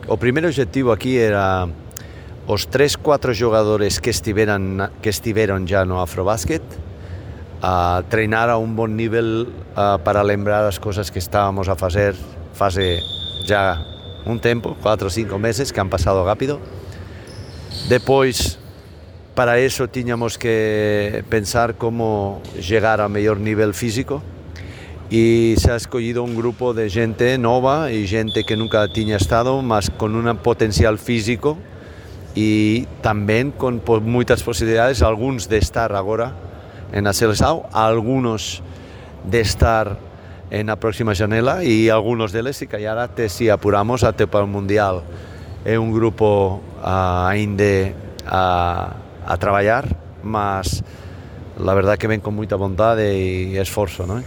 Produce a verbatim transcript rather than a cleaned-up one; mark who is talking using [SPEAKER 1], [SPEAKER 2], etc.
[SPEAKER 1] o primeiro obxectivo aquí era os tres, cuatro xogadores que estiveran, que estiveron já no Afrobásquet, a treinar a un bon nivel uh, para lembrar as cosas que estábamos a facer fase já un tempo, cuatro ou cinco meses, que han pasado rápido. Depois, para eso tiñamos que pensar como chegar a mellor nivel físico, e se ha escollido un grupo de xente nova e xente que nunca tiña estado, mas con un potencial físico e tamén con moitas posibilidades, algúns de estar agora en a seleção, algunos de estar en a próxima xanela e algunos deles, se callar até si apuramos até para o Mundial. É un grupo uh, aínda a, a traballar, mas la verdad que ven con moita vontade e esforzo, non?